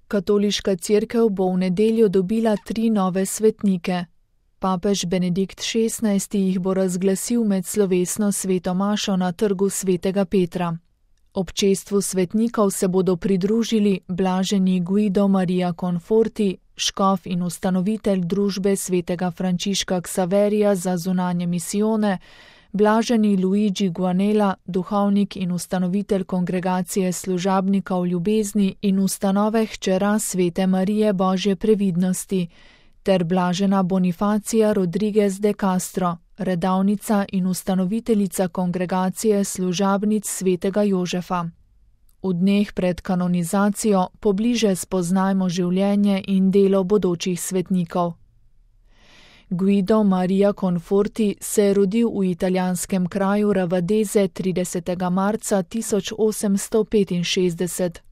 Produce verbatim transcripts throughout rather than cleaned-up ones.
Katoliška cerkev bo v nedeljo dobila tri nove svetnike. Papež Benedikt šestnajsti jih bo razglasil med slovesno sveto mašo na trgu svetega Petra. Občestvu svetnikov se bodo pridružili blaženi Guido Maria Conforti, škof in ustanovitelj družbe svetega Frančiška Ksaverija za zunanje misijone, blaženi Luigi Guanella, duhovnik in ustanovitelj kongregacije služabnikov ljubezni in ustanove hčera svete Marije Božje previdnosti, ter blažena Bonifacija Rodriguez de Castro, redavnica in ustanoviteljica kongregacije služabnic svetega Jožefa. V dneh pred kanonizacijo pobliže spoznajmo življenje in delo bodočih svetnikov. Guido Maria Conforti se je rodil v italijanskem kraju Ravadeze tridesetega marca tisoč osemsto petinšestdeset.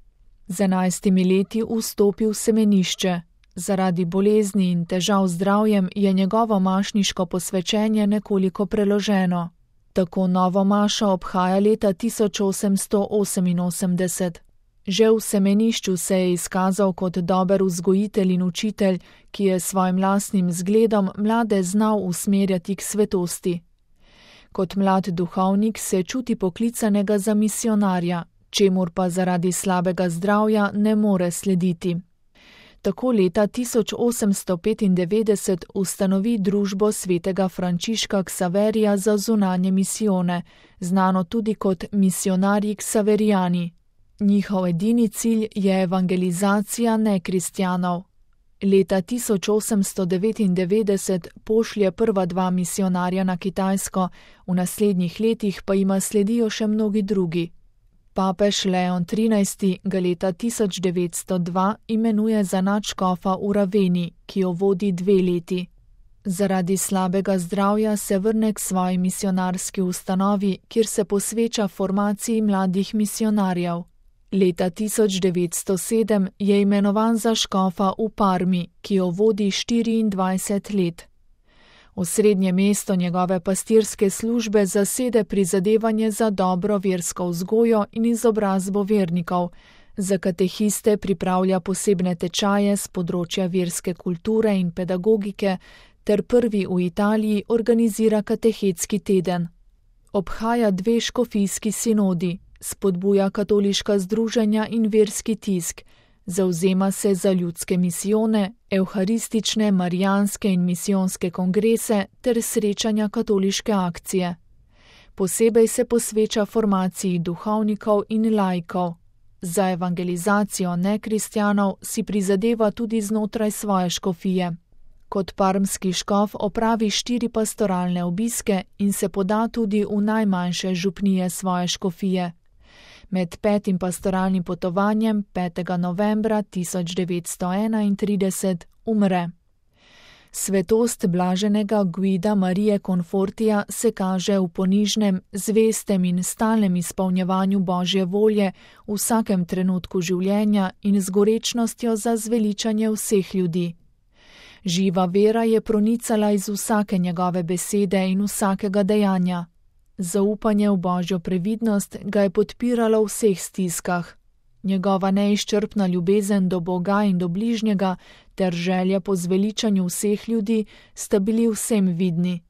Z enajstimi leti vstopil v semenišče. Zaradi bolezni in težav z zdravjem je njegovo mašniško posvečenje nekoliko preloženo. Tako novo mašo obhaja leta tisoč osemsto oseminosemdeset. Že v semenišču se je izkazal kot dober vzgojitelj in učitelj, ki je svojim lastnim zgledom mlade znal usmerjati k svetosti. Kot mlad duhovnik se čuti poklicanega za misionarja, čemur pa zaradi slabega zdravja ne more slediti. Tako leta tisoč osemsto petindevetdeset ustanovi družbo svetega Frančiška Ksaverija za zunanje misijone, znano tudi kot misionarji Ksaverijani. Njihov edini cilj je evangelizacija nekristjanov. Leta tisoč osemsto devetindevetdeset pošlje prva dva misionarja na Kitajsko, v naslednjih letih pa jima sledijo še mnogi drugi. Papež Leon trinajsti ga leta tisoč devetsto dva imenuje za nadškofa v Raveni, ki jo vodi dve leti. Zaradi slabega zdravja se vrne k svoji misionarski ustanovi, kjer se posveča formaciji mladih misionarjev. Leta tisoč devetsto sedem je imenovan za škofa v Parmi, ki jo vodi štiriindvajset let. Osrednje mesto njegove pastirske službe zasede prizadevanje za dobro versko vzgojo in izobrazbo vernikov, za katehiste pripravlja posebne tečaje z področja verske kulture in pedagogike, ter prvi v Italiji organizira katehetski teden. Obhaja dve škofijski sinodi, spodbuja katoliška združenja in verski tisk, zavzema se za ljudske misijone, evharistične, marijanske in misijonske kongrese ter srečanja katoliške akcije. Posebej se posveča formaciji duhovnikov in laikov. Za evangelizacijo nekristjanov si prizadeva tudi znotraj svoje škofije. Kot parmski škof opravi štiri pastoralne obiske in se poda tudi v najmanjše župnije svoje škofije. Med petim pastoralnim potovanjem petega novembra tisoč devetsto enaintrideset umre. Svetost blaženega Guida Marije Confortija se kaže v ponižnem, zvestem in stalnem izpolnjevanju Božje volje v vsakem trenutku življenja in z gorečnostjo za zveličanje vseh ljudi. Živa vera je pronicala iz vsake njegove besede in vsakega dejanja. Zaupanje v Božjo previdnost ga je podpiralo v vseh stiskah. Njegova neizčrpna ljubezen do Boga in do bližnjega ter želja po zveličanju vseh ljudi sta bili vsem vidni.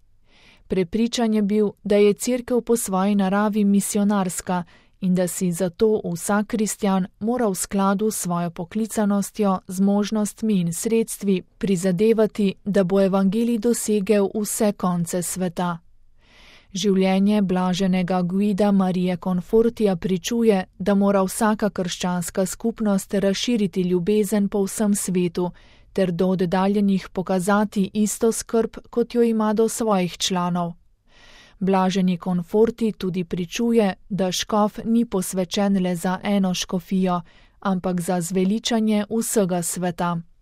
Prepričan je bil, da je cerkev po svoji naravi misionarska in da si zato vsak kristjan mora v skladu s svojo poklicanostjo, zmožnostmi in sredstvi prizadevati, da bo evangelij dosegel vse konce sveta. Življenje blaženega Guida Marije Confortija pričuje, da mora vsaka krščanska skupnost razširiti ljubezen po vsem svetu, ter do oddaljenih pokazati isto skrb, kot jo ima do svojih članov. Blaženi Conforti tudi pričuje, da škof ni posvečen le za eno škofijo, ampak za zveličanje vsega sveta.